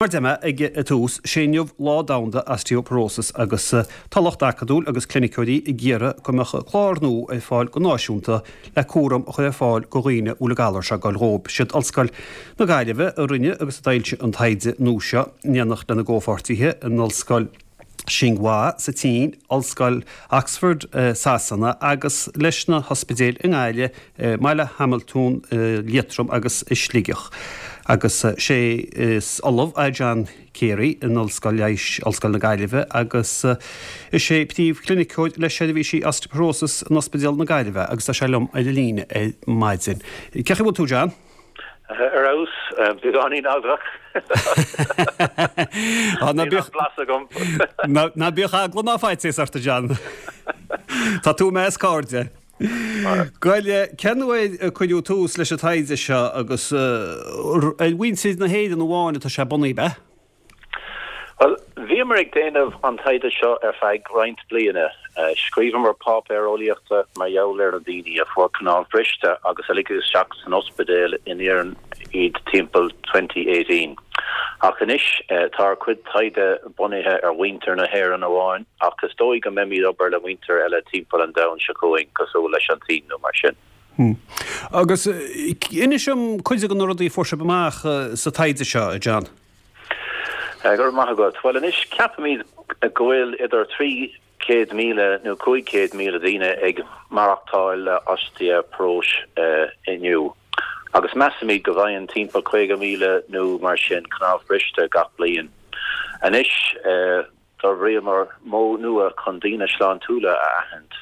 Mar a deir mé ag an tús, sé inniu Lá Domhanda Osteoporosis agus tá lucht acadúil agus cliniceoirí ag iarraidh go mbeadh clár nua ar fáil go náisiúnta le cúram a chur ar fáil go dhaoine a bhfuil an galar seo ag goil dhóib. Siad Ollscoil na Gaillimhe a rinne agus a d'fhoilsigh an taighde nua seo in éineacht lena gcomhpháirtithe in Ollscoil Tsinghua sa tSín, Ollscoil Oxford i Sasana agus leis na hospidéil i nGaillimh, i mBaile Hamaltún, i Liatroim agus i Sligeach. Agus sé is Ollamh é John Carey in Ollscoil Leighis Ollscoil na Gaillimhe agus is é príomh-chliniceoir le seirbhísí osteoporosis in Ospidéal na Gaillimhe agus tá sé liom ar an líne ar maidin. Cén chaoi a bhfuil tú, John? Ar fheabhas, beagáinín eaglach. Ná bíodh blas agam. Ná bíodh eagla ná faitíos ort, a John. Tá tú i measc cairde. Bhuel, cén uair a cuireadh tús leis an taighde seo agus ar mhuintir na hÉireann amháin atá sé bunaithe, ab ea? Bhuel, bhíomar ag déanamh an taighde seo ar feadh roinnt bliana. Scríobhamar páipéar eolaíochta mar gheall ar na daoine a fuair cnámh briste agus a ligeadh isteach san ospidéal in Éirinn iad timpeall 2018. Ach anois, tá ár cuid taighde bunaithe ar mhuintir na hÉireann amháin, ach is dóigh go mbeimid obair le muintir eile timpeall an domhain seo chugainn, cosúil leis an tSín nó mar sin. Agus inis dom cuid de na rudaí a fuair sibh amach sa taighde seo, a John. Go raibh maith agat. Bhuel anois, ceapaimid go bhfuil idir 300,000 nó 500,000 daoine ag maireachtáil le oistéaparóis inniu, agus measaimid go bhfaigheann timpeall 50,000 nó mar sin cnámh briste gach bliain. Anois. D'fhorbraíomar modh nua chun daoine sláintiúla a aithint,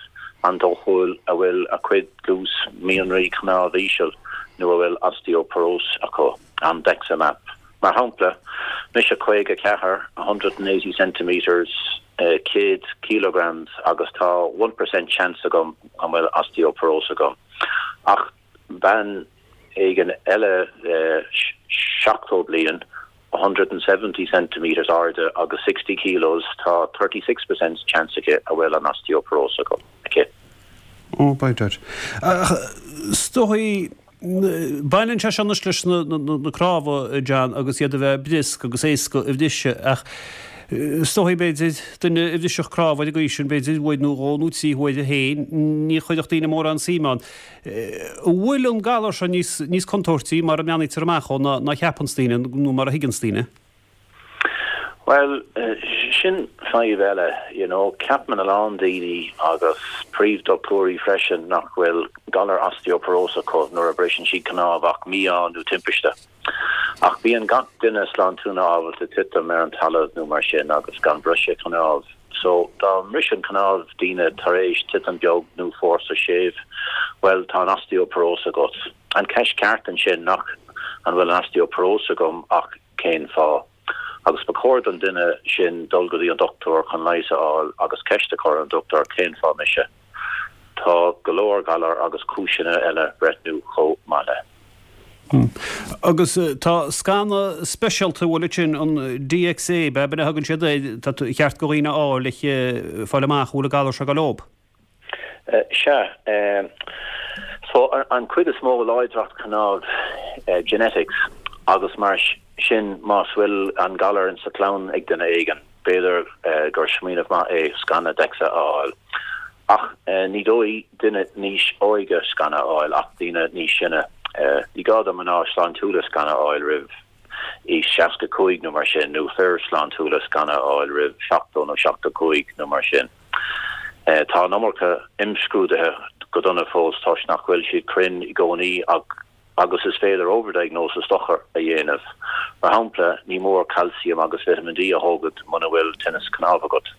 an-dóchúil a bhfuil a cuid dlús mianraí cnámh íseal nó a bhfuil osteoporóis acu, an DexaMap. Mar shampla, mise 54, 180 centimetres, 100 kilograms, agus tá one percent chance agam an bhfuil osteoporóis agam. Ach bean éigin eile 70 bliain, 170 centimetres airde agus 60 kilos, tá 36 percent chance aici a bhfuil an osteoporóis aici. Oh, by dad. Ach is dóigh, baineann sé seo anois leis na cnámha, John, agus iad a bheith briosc agus éasca a bhriseadh, ach is dóigh, b'fhéidir, duine a bhrisfeadh cnámh ar an gcaoi sin, b'fhéidir, uair nó dhó nó trí huaire féin, ní chuirfeadh daoine mórán suim ann. An bhfuil an galar seo níos níos contúirtí mar a mbreathnaítear amach dhó ná ná a cheapanns daoine nó mar a thuigeanns daoine? Bhuel, sin fadhb eile, you know. Ceapann a lán daoine agus príomh-dochtúirí freisin nach bhfuil galar osteoporóis acu nuair a briseann siad cnámh ach mí-ádh nó timpiste. Ach bíonn gach duine sláintiúla ábalta titim ar an talamh nó mar sin agus gan briseadh cnámh. So, dá mbriseann cnámh daoine tar éis titim beag nó fórsa séimh, bhuel, tá an osteoporóis agat. An ceist ceart ansin nach an bhfuil an osteoporóis agam ach cén fáth? Agus ba chóir don duine sin dul go dtí an dochtúir chun leigheas a fháil agus ceist a chur ar an dochtúir cén fáth mise? Tá go leor galar agus cúiseanna eile breithniú chomh maith le. Agus tá scanadh speisialta, bhfuil sin, an DXA, ab ea, a thugann siad air, tá cheart go dhaoine a fháil le fáil amach an bhfuil an galar seo ag goil dhób. Sea. So, an cuid is mó láidreacht cnámh genetics agus mar sin más bhfuil an galar insa chlann ag duine éigin, b'fhéidir gur smaoineamh maith é scanadh DEXA a fháil. Ach ní dóigh duine níos óige scanadh a fháil ach daoine níos sine. Ní gá do mná sláintiúla scanadh a fháil roimh aois 65 nó mar sin, nó fir sláintiúla scanadh a fháil roimh 70 nó 75 nó mar sin. Tá an iomarca imscrúduithe go dona fós toisc nach bhfuil siad cruinn i gcónaí ach agus is féidir overdiagnosis dochar a dhéanamh. Mar shampla, ní mór calcium agus vitamin D a thógaint muna bhfuil tinneas cnámh agat.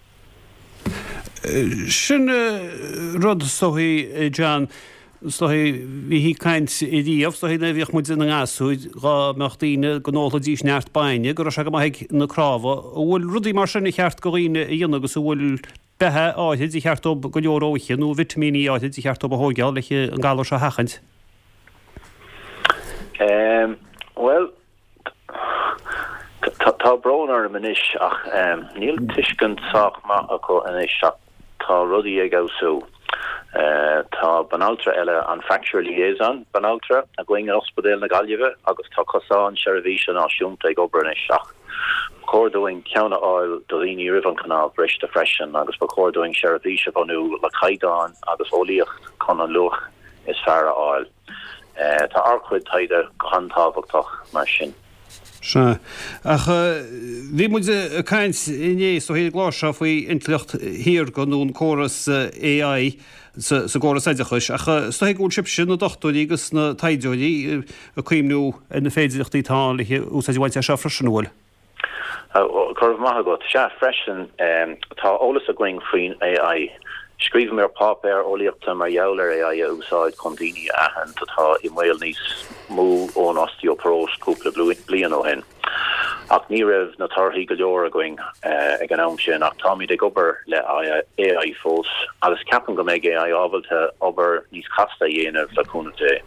Sin rud, is dóigh, John, is dóigh, bhíthí ag caint riamh, is dóigh, nuair a bhíodh muid ina ngasúir, dhá mbeadh daoine go n-ólfaidís neart bainne, go raibh sé go maith ag na cnámha. An bhfuil rudaí mar sin ar cheart go dhaoine a dhéanamh agus an bhfuil beatha áithrid ar cheart dóibh go leor a ithe nó vitimíní áithrid ar cheart dóibh a thóigeáil le an galar seo a sheachaint? Bhuel, tá brón orm anois ach níl tuiscint sách maith acu anois ach tá rudaí ag fheabhsú. Tá banaltra eile, an Fracture Liaison Banaltra, againn in Ospidéal na Gaillimhe agus tá cosán seirbhíse náisiúnta ag obair anois ach ba chóir dúinn ceann a fháil do dhaoine roimh an cnámh briste freisin agus ba chóir dúinn seirbhís a bhunú le caighdeáin agus eolaíocht chun an luach is fearr a fháil. Tá ár gcuid taighde go han-tábhachtach mar sin. Sea. Ach bhí muid ag caint inné is dóichí ar an gclár seo faoi intleacht shaorga nó an córas AI sa gcóras oideachais ach is dóichí go bhfuil sibhse, na dochtúirí agus na taighdeoirí, ag cuimhniú ar na féidireachtaí atá ann le úsáid a bhaint as seo freisin, an bhfuil? Go raibh maith agat. Sea, freisin, tá eolas againn faoin AI. Scríobhamar páipéar eolaíochta mar gheall ar AI a úsáid chun daoine a aithint atá i mbaol níos mó ón osteoparóis cúpla bliain ó shin. Ach ní raibh na torthaí go leor againn ag an am sin ach táimid ag obair le AI fós agus ceapaim go mbeidh AI ábalta obair níos casta a dhéanamh le cúnamh Dé.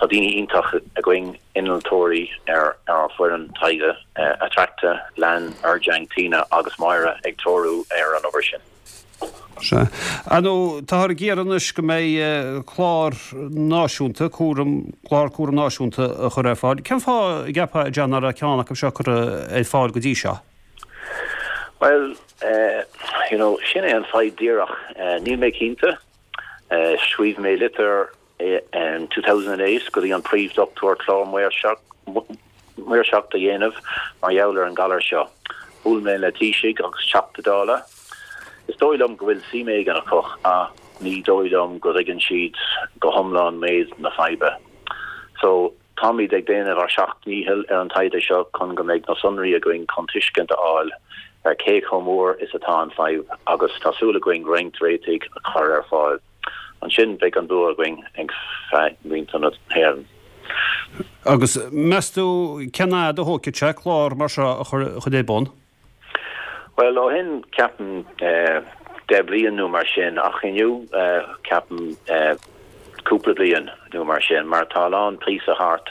Tá daoine iontach againn, innealtóirí ar ár bhfoireann taighde, Attracta, Lan, Erjiang, Tina agus Máire ag treorú ar an obair sin. Sea. Ar ndóigh, táthar ag iarraidh anois go mbeidh clár náisiúnta cúram, clár cúram náisiúnta a chur ar fáil. Cén fáth, an gceapfá, a John, nach raibh ceann acu seo curtha ar fáil go dtí seo? Bhuel, you know, sin é an fadhb díreach. Níl mé cinnte. Scríobh mé litir in 2008 go dtí an príomh-dochtúir clár maoirseacht a dhéanamh mar gheall ar an galar seo. Bhuail mé le Taoisigh agus Teachta Dála. Is dóigh liom go bhfuil suim éigin acu ach ní dóigh liom go dtuigeann siad go hiomlán méid na faidhbe. So, táimid ag déanamh ár seacht ndícheall ar an taighde seo chun go mbeidh na sonraí againn chun tuiscint a fháil ar cé chomh mór is atá an fadhb agus tá súil againn roinnt réitigh a chur ar fáil. Ansin beidh an bua againn ag feadh na hÉireann. Agus meas tú cén fhad a thógfaidh sé clár mar seo a chur ar bun? Bhuel, ó shin ceapaim 10 bliain nó mar sin ach inniu ceapaim cúpla bliain nó mar sin mar tá a lán píosa thart,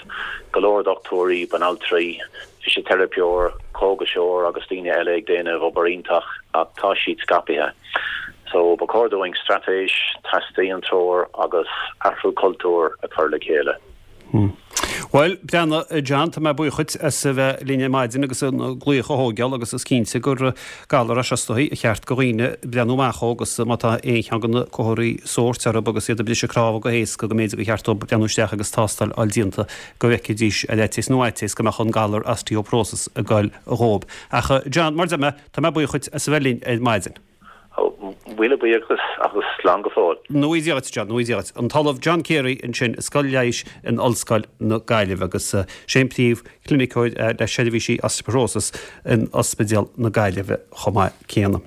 go leor dochtúirí, banaltraí, fisiteiripeoir, cógaiseoir agus daoine eile ag déanamh obair iontach ach tá siad scaipthe. So ba chóir dúinn straitéis, teastaíonn treoir agus athrú cultúir a chur le chéile. Bhuel, breathnaigh, a John, tá mé buíoch dhuit as a bheith linn ar maidin agus an glaoch a thógáil agus is cinnte gur galar é seo is dóichí ar cheart do dhaoine breathnú amach dhó agus má tá aon cheann de na comharthaí sóirt orthu agus iad ag briseadh cnámha go héasca go mb'fhéidir gur cheart dóibh breathnú isteach agus tástáil a fháil déanta go bhfeicfidís ar fhaitíos nó fhaitíos go mbeadh an galar osteoporosis ag goil dhóibh. Ach John, mar a deir mé, tá mé buíoch dhuit as a bheith linn ar maidin. Míle buíochas agus slán go fóill. Go ngnóthaí Dia dhuit, John, go ngnóthaí Dia dhuit. An tOllamh John Carey ansin i Scoil Leighis in Ollscoil na Gaillimhe agus sé an príomh-chliniceoir le seirbhísí osteoporosis in Ospidéal na Gaillimhe chomh maith céanna.